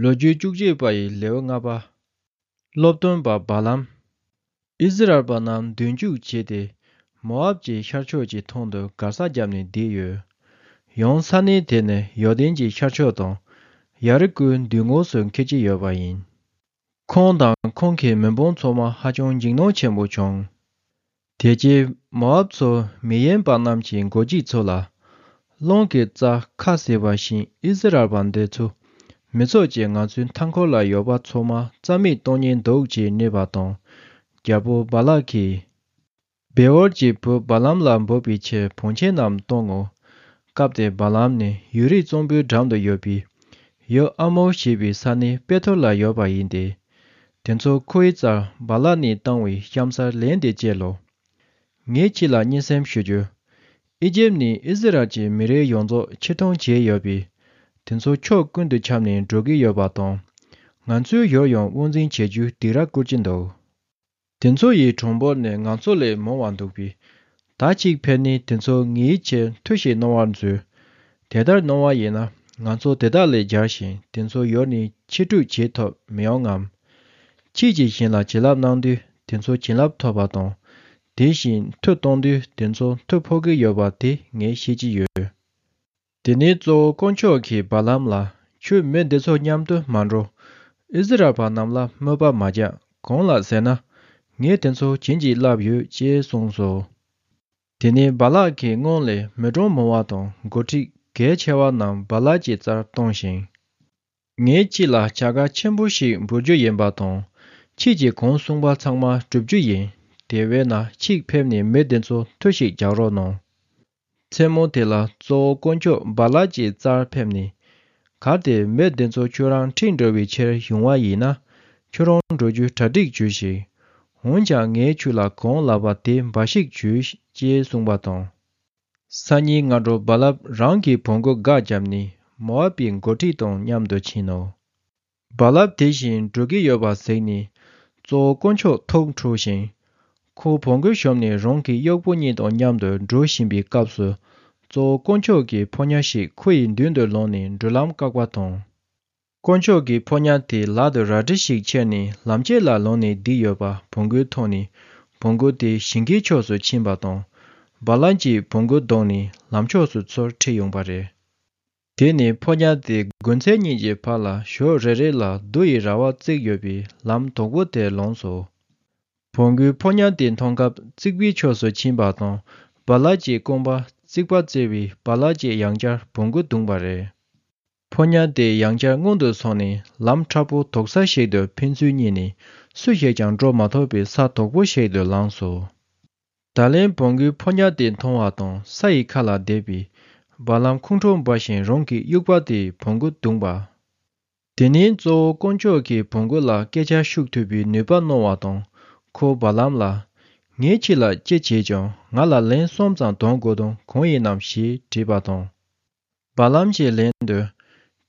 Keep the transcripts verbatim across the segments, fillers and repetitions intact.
ལོ་རྒྱུས་བཅུ་གཅིག་པ་ཡི་ལེའུ་ལྔ་པ། སློབ་སྟོན་པ་བ་ལམ། ཨིསི་རཱཨེལ་པ་རྣམས་མདུན་རྒྱུག་བྱས་ཏེ། མོ་ཨབ་ཀྱི་ཤར་ཕྱོགས་ཀྱི་ཐང་དུ་སྒར་ས་བརྒྱབ་ནས་བསྡད་ཡོད། ཡང་ས་གནས་དེ་ནི་ཡོར་དན་གྱི་ཤར་ཕྱོགས་དང་། ཡ་རི་ཀོའི་མདུན་ངོས་སུ་འཁེལ་གྱི་ཡོད་པ་ཡིན། ཁོང་དང་ཁོང་གི་མི་འབོར་ཚང་མ་ཧ་ཅང་འཇིགས་སྣང་ཆེན་པོ་བྱུང་། དེ་རྗེས་མོ་ཨབ་ཚོ་མི་ཡན་པ་རྣམས་ཀྱི་མགོ་ཁྱི་ཚོ་ལ། གླང་གི་རྩ་ཁ་བཟེད་པ་བཞིན་ཨིསི་རཱཨེལ་པ་འདི་ཚོ་མི་ཚོགས་ཀྱིས་ང་ཚོའི་མཐའ་འཁོར་ལ་ཡོད་པ་ཚང་མ་རྩ་མེད་གཏོང་ཉེན་འདུག་ཅེས་སྨྲས་པ་དང་། རྒྱལ་པོ་བ་ལག་གིས། བེ་ཨོར་གྱི་བུ་བ་ལམ་ལ་འབོད་པའི་ཕྱིར་བང་ཆེན་རྣམས་གཏོང་ངོ་། སྐབས་དེར་བ་ལམ་ནི་ཡུལ་རིས་གཙང་པོའི་འགྲམ་དུ་ཡོད་པའི་ཡུལ་ཨ་མོར་ཞེས་པའི་ས་གནས་པེ་ཐོར་ལ་ཡོད་པ་ཡིན་ཏེ། དེ་ཚོ་ཁོའི་རྩར་བ་ལག་ནས་བཏང་བའི་གཤམ་གསལ་ལན་དེ་བཅས་ལོ། ངས་ཁྱེད་ལ་སྙན་སེམས་ཞུ་རྒྱུ། ཨི་ཇེབ་ནས་ཨི་ཟི་རལ་གྱི་མི་རིགས་ཡོངས་རྫོགས་ཕྱིར་གཏོང་བྱས་ཡོད་པས། དེ་ཚོ་ཕྱོགས་ཀུན་ཏུ་ཁྱབ་ནས་འགྲོ་གི་ཡོད་པ་དང་། ང་ཚོའི་ཡུལ་ཡང་དབང་འཛིན་བྱེད་རྒྱུའི་སྡིགས་ར་བསྐུལ་གྱི་འདུག་དེ་ཚོ་ཡི་གྲངས་འབོར་ནི་ང་ཚོ་ལས་མང་བ་འདུག་པས། ད་གཅིག་ཕེབས་ནས་དེ་ཚོ་ངའི་ཆེད་མཐུ་ཞིག་གནང་བར་མཛོད། དེ་ལྟར་གནང་བ་ཡིན་ན་ང་ཚོ་དེ་དག་ལས་རྒྱལ་ཞིང་དེ་ཚོ་ཡུལ་ནས་ཕྱིར་སྤྲོད་བྱེད་ཐུབ་མི་ཡོང་ངམ། ཁྱེད་ཀྱིས་གཞན་ལ་བྱིན་རླབས་གནང་དུས་དེ་ཚོ་བྱིན་རླབས་ཐོབ་པ་དང་། དེ་བཞིན་མཐུ་གཏོང་དུས་དེ་ཚོ་མཐུ་ཕོག་གི་ཡོད་པ་དེ་ངས་ཤེས་ཀྱི་ཡོད། དེ་ནས་གཙོ་བོ་དཀོན་མཆོག་གིས་བ་ལམ་ལ། ཁྱོད་མི་འདི་ཚོ་མཉམ་དུ་མ་འགྲོ། ཨིསི་རལ་པ་རྣམས་ལ་དམོད་པ་མ་རྒྱག་གང་ལ་ཟེར་ན། ངས་དེ་ཚོ་བྱིན་གྱིས་བརླབས་ཡོད་ཅེས་གསུངས་སོ། དེ་ནས་བ་ལག་གིས་སྔོན་ལས་མི་གྲངས་མང་བ་དང་འགོ་ཁྲིད་གལ་ཆེ་བ་རྣམས་བ་ལག་གི་རྩར་བཏང་ཞིང་། ངས་ཁྱེད་ལ་བྱ་དགའ་ཆེན་པོ་ཞིག་འབུལ་རྒྱུ་ཡིན་པ་དང་། ཁྱེད་ཀྱིས་གང་གསུངས་པ་ཚང་མ་བསྒྲུབ་རྒྱུ་ཡིན། དེ་བས་ན་ཁྱེད་ཕེབས་ནས་མི་འདི་ཚོ་མཐུ་ཞིག་རྒྱག་རོགས་གནང་། མཚན་མོ་དེ་ལ་གཙོ་བོ་དཀོན་མཆོག་བ་ལག་གི་རྩར་ཕེབས་ནས། གལ་ཏེ་མི་འདི་ཚོ་ཁྱོད་རང་ཁྲིད་འགྲོ་བའི་ཕྱིར་ཡོང་བ་ཡིན་ན། ཁྱོད་རང་འགྲོ་རྒྱུའི་གྲ་སྒྲིག་བྱོས་ཤིག་འོན་ཀྱང་ངས་ཁྱོད་ལ་གང་ལབ་པ་དེ་འབའ་ཞིག་བྱོས་ཅེས་གསུངས་པ་དང་། སང་ཉིན་སྔ་དྲོ་བ་ལམ་རང་གི་བོང་གུ་འགག་བརྒྱབ་ནས་མོ་ཨབ་པའི་འགོ་ཁྲིད་དང་མཉམ་དུ་ཕྱིན་ནོ། བ་ལམ་དེ་བཞིན་འགྲོ་གི་ཡོད་པ་གཟིགས་ནས་གཙོ་བོ་དཀོན་མཆོག་ཐུགས་འཁྲུགས་ཤིང་། ཁོ་བོང་གུ་ཞོམ་ནས་རང་གི་གཡོག་པོ་གཉིས་དང་མཉམ་དུ་འགྲོ་བཞིན་པའི་སྐབས་སུ། གཙོ་བོ་དཀོན་མཆོག་གི་ཕོ་ཉ་ཞིག་ཁོ་ཡི་མདུན་དུ་ལངས་ནས་འགྲུལ་ལམ་བཀག་པ་དང་། དཀོན་མཆོག་གི་ཕོ་ཉ་དེས་ལག་ཏུ་རལ་གྲི་ཞིག་ཁྱེར་ནས་ལམ་ཕྱེད་ལ་ལངས་ནས་བསྡད་ཡོད་པ་བོང་གུས་མཐོང་ནས་བོང་གུ་དེ་ཞིང་ཁའི་ཕྱོགས་སུ་ཕྱིན་པ་དང་། བ་ལམ་གྱིས་བོང་གུ་བརྡུངས་ནས་ལམ་ཕྱོགས་སུ་ཚུར་ཁྲིད་ཡོང་པ་རེད། དེ་ནས་ཕོ་ཉ་དེ་དགུན་ཚལ་གཉིས་ཀྱི་བར་ལ་ཞོལ་རེ་རེ་ལ་རྡོ་ཡི་ར་བ་བརྩིགས་ཡོད་པའི་ལམ་དོག་པོ་དེར་ལངས་སོ། བོང་གུས་ཕོ་ཉ་དེ་མཐོང་སྐབས་རྩིག་པའི་ཕྱོགས་སུ་ཕྱིན་པ་དང་བ་ལམ་གྱི་རྐང་པ་རྩིག་པ་བཙིར་བས་བ་ལམ་གྱིས་ཡང་བསྐྱར་བོང་གུ་བརྡུངས་པ་རེད། ཕོ་ཉ་དེ་ཡང་བསྐྱར་སྔོན་དུ་སོང་ནས་ལམ་ཁྲ་པོ་དོག་ས་ཞིག་ཏུ་ཕན་ཚུན་གཉིས་ནས་སུ་ཞིག་ཀྱང་འགྲོ་མ་ཐུབ་པའི་ས་དོག་པོ་ཞིག་ཏུ་ལངས་སོ། ད་ལན་བོང་གུས་ཕོ་ཉ་དེ་མཐོང་བ་དང་ས་ཡི་ཁ་ལ་བསྡད་པས། བ་ལམ་ཁོང་ཁྲོ་འབར་ཞིང་རང་གི་དབྱུག་པ་དེས་བོང་གུ་བརྡུངས་པ། དེ་ནས་གཙོ་བོ་དཀོན་མཆོག་གིས་བོང་གུ་ལ་སྐད་ཆ་ཤོད་ཐུབ་པའི་ནུས་པ་གནང་བ་དང་། ཁོ་བ་ལམ་ལ། ངས་ཁྱེད་ལ་ཅི་བྱས་ཀྱང་ང་ལ་ལན་གསུམ་ཙམ་གཏོང་དགོས་དོན་གང་ཡིན་ནམ་ཞེས་དྲིས་པ་དང་། བ་ལམ་གྱིས་ལན་དུ།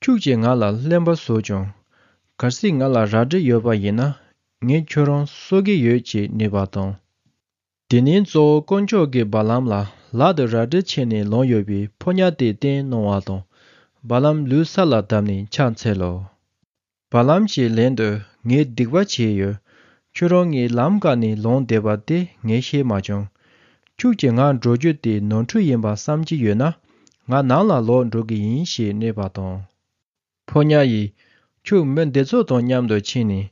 ཁྱོད་ཀྱིས་ང་ལ་གླེན་པ་བཟོས་ཀྱང་། གལ་སྲིད་ང་ལ་རལ་གྲི་ཡོད་པ་ཡིན་ན། ངས་ཁྱོད་རང་གསོད་ཀྱི་ཡོད་ཅེས་སྨྲས་པ་དང་། དེ་ནས་གཙོ་བོ་དཀོན་མཆོག་གིས་བ་ལམ་ལ་ལག་ཏུ་རལ་གྲི་ཁྱེར་ནས་ལངས་ཡོད་པའི་ཕོ་ཉ་དེ་བསྟན་གནང་བ་དང་། བ་ལམ་ལུས་ས་ལ་བརྡབས་ནས་ཕྱག་འཚལ་ལོ། བ་ལམ་གྱིས་ལན་དུ། ངས་སྡིག་པ་བྱས་ཡོད། ཁྱོད་རང་ངའི་ལམ་བཀག་ནས་ལངས་བསྡད་པ་དེ་ངས་ཤེས་མ་བྱུང་། ཁྱོད་ཀྱིས་ང་འགྲོ་རྒྱུ་དེ་ནོར་འཁྲུལ་ཡིན་པ་བསམ་གྱི་ཡོད་ན། ང་ནང་ལ་ལོག་འགྲོ་གི་ཡིན་ཞེས་སྨྲས་པ་དང་། ཕོ་ཉ་ཡིས། ཁྱོད་མི་འདི་ཚོ་དང་མཉམ་དུ་ཕྱིན་ནས།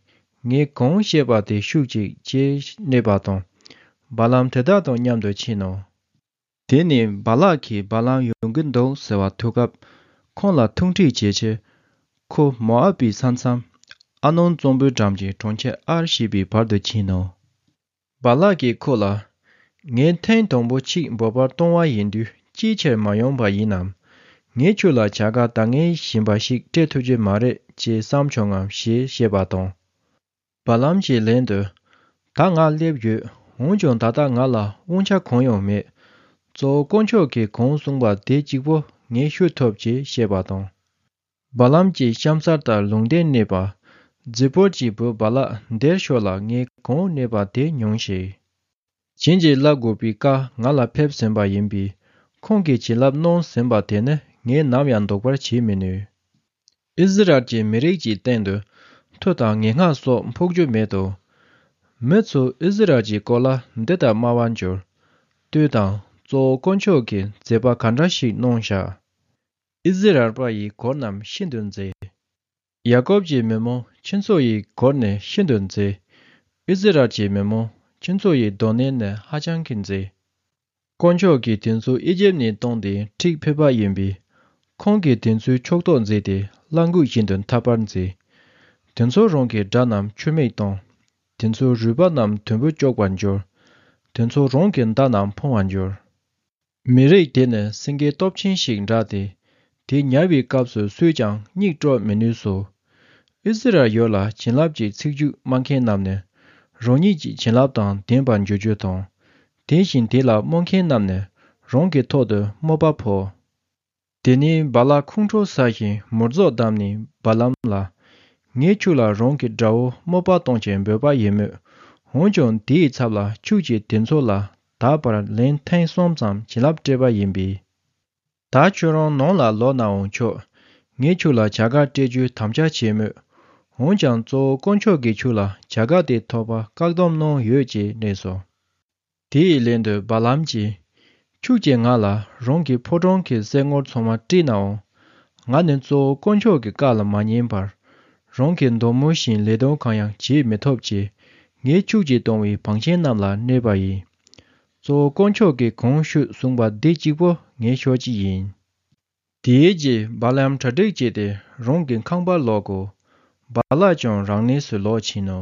ངས་གང་བཤད་པ་དེ་ཤོད་ཅིག་ཅེས་སྨྲས་པ་དང་། བ་ལམ་དེ་དག་དང་མཉམ་དུ་ཕྱིན་ནོ། དེ་ནས་བ་ལག་གིས་བ་ལམ་ཡོང་གི་འདུག་ཟེར་བ་ཐོས་སྐབས། ཁོང་ལ་ཐུགས་འཕྲད་བྱེད་ཕྱིར། ཁོ་མོ་ཨབ་པའི་ས་མཚམས། ཨར་ནོན་གཙང་པོའི་འགྲམ་གྱི་གྲོང་ཁྱེར་ཨར་ཞེས་པའི་བར་དུ་ཕྱིན་ནོ། བ་ལག་གིས་ཁོ་ལ། ངས་ཐེངས་དང་པོ་གཅིག་འབོད་པར་གཏོང་བ་ཡིན་དུས་ཅིའི་ཕྱིར་མ་ཡོང་པ་ཡིན་ནམ། ངས་ཁྱོད་ལ་བྱ་དགའ་ད་ངས་བཞིན་པ་ཞིག་སྤྲད་ཐུབ་ཀྱི་མ་རེད་ཅེས་བསམ་བྱུང་ངམ་ཞེས་བཤད་པ་དང་། བ་ལམ་གྱིས་ལན་དུ། ད་ང་སླེབས་ཡོད། འོན་ཀྱང་ད་ལྟ་ང་ལ་དབང་ཆ་གང་ཡང་མེད། གཙོ་བོ་དཀོན་མཆོག་གིས་གང་གསུངས་པ་དེ་གཅིག་པོ་ངས་ཤོད་ཐུབ་ཅེས་བཤད་པ་དང་། བ་ལམ་གྱིས་གཤམ་གསལ་ལྟར་ལུང་བསྟན་གནས་པ། ཛི་པོར་གྱི་བུ་བ་ལག་འདིར་ཤོག་ལ་ངས་གང་གནས་པ་དེ་མྱོང་ཞིག་བྱིན་གྱིས་བརླབ་དགོས་པའི་བཀའ་ང་ལ་ཕེབས་ཟིན་པ་ཡིན་པས། ཁོང་གིས་བྱིན་རླབས་གནང་ཟིན་པ་དེ་ནི་ངས་ནམ་ཡང་ལྡོག་པར་བྱེད་མི་ནུས། ཨི་ཟི་རལ་གྱི་མི་རིགས་ཀྱི་སྟེང་དུ་མཐུ་དང་ངན་སྔགས་སོགས་འཕོག་རྒྱུ་མེད་དོ། མི་ཚོ་ཨི་ཟི་རལ་གྱི་སྐོར་ལ་འདི་ལྟར་སྨྲ་བར་འགྱུར། ལྟོས་དང་། གཙོ་བོ་དཀོན་མཆོག་གིས་མཛད་པ་ག་འདྲ་ཞིག་གནང་བཞག་ཨི་ཟི་རལ་པ་ཡི་སྒོ་རྣམས་ཤིན་ཏུ་མཛེས། ཡ་ཀོབ་ཀྱི་མི་མོ་ཁྱེད་ཚོ་ཡི་སྒོ་ནི་ཤིན་ཏུ་མཛེས། ཨི་ཟི་རལ་གྱི་མི་མོ་ཁྱེད་ཚོ་ཡི་སྡོད་གནས་ནི་ཧ་ཅང་གི་མཛེས། དཀོན་མཆོག་གིས་དེ་ཚོ་ཨི་ཇེབ་ནས་བཏང་སྟེ་ཁྲིད་ཕེབས་པ་ཡིན་པས། ཁོང་གིས་དེ་ཚོའི་ཕྱོགས་གཏོགས་མཛད་དེ་གླང་གོས་བཞིན་དུ་འཐབ་པར་མཛད། དེ་ཚོ་རང་གི་དགྲ་རྣམས་ཆུ་མིག་བཏང་། དེ་ཚོ་རུས་པ་རྣམས་དུམ་བུ་གཅོག་པར་འགྱུར། དེ་ཚོ་རང་གི་མདའ་རྣམས་འཕང་བར་འགྱུར། མི་རིགས་དེ་ནི་སེང་གེ་སྟོབས་ཆེན་ཞིག་འདྲ་སྟེ། དེ་ཉར་བའི་སྐབས་སུ་སུས་ཀྱང་སྙིགས་དཀྲོག་མི་ནུས་སོ། ཨི་ཟི་རལ་ཡུལ་ལ་བྱིན་རླབས་ཀྱི་ཚིག་རྒྱུད་སྨྲ་མཁན་རྣམས་ནི། རང་ཉིད་ཀྱི་བྱིན་རླབས་དང་ལྡན་པར་འགྱུར་རྒྱུ་དང་། དེ་བཞིན་དེ་ལ་སྨོད་མཁན་རྣམས་ནི། རང་གི་ཐོག་ཏུ་དམོད་པ་ཕོག་དེ་ནས་བ་ལ་ཁོང་ཁྲོ་ཟ་ཞིང་མུར་རྫོག་བསྡམས་ནས་བ་ལམ་ལ། ངས་ཁྱོད་ལ་རང་གི་དགྲ་བོ་དམོད་པ་གཏོང་ཞིང་འབོད་པ་ཡིན་མོད། འོན་ཀྱང་དེའི་ཚབ་ལ་ཁྱོད་ཀྱིས་དེ་ཚོ་ལ་ད་བར་ལན་ཐེངས་གསུམ་ཙམ་བྱིན་རླབས་སྤྲད་པ་ཡིན་པས། ད་ཁྱོད་རང་ནང་ལ་ལོག་ནའང་ཆོག་ངས་ཁྱོད་ལ་བྱ་དགའ་སྤྲད་རྒྱུའི་དམ་བཅའ་བྱས་མོད། འོན་ཀྱང་གཙོ་བོ་དཀོན་མཆོག་གིས་ཁྱོད་ལ་བྱ་དགའ་དེ་ཐོབ་པར་བཀག་སྡོམ་གནང་ཡོད་ཅེས་སྨྲས་སོ། དེའི་ལན་དུ་བ་ལམ་གྱིས། ཁྱོད་ཀྱིས་ང་ལ་རང་གི་ཕོ་བྲང་གི་སེལ་ངོར་ཚང་མ་སྤྲད་ནའང་། ང་ནི་གཙོ་བོ་དཀོན་མཆོག་གི་བཀའ་ལ་མ་ཉན་པར། རང་གི་འདོད་མོས་བཞིན་ལས་དོན་གང་ཡང་བྱེད་མི་ཐུབ་ཅེས། ངས་ཁྱོད་ཀྱིས་གཏོང་བའི་བང་ཆེན་རྣམས་ལ་སྨྲས་པ་ཡིན། གཙོ་བོ་དཀོན་མཆོག་གིས་གང་ཞུས་གསུངས་པ་འདི་གཅིག་པོ་ངས་ཤོད་ཀྱི་ཡིན། དེའི་རྗེས་བ་ལམ་གྲ་སྒྲིག་བྱས་ཏེ་རང་གི་ཁང་པར་ལོག་གོ། བ་ལག་ཀྱང་རང་གནས་སུ་ལོག་ཕྱིན་ནོ།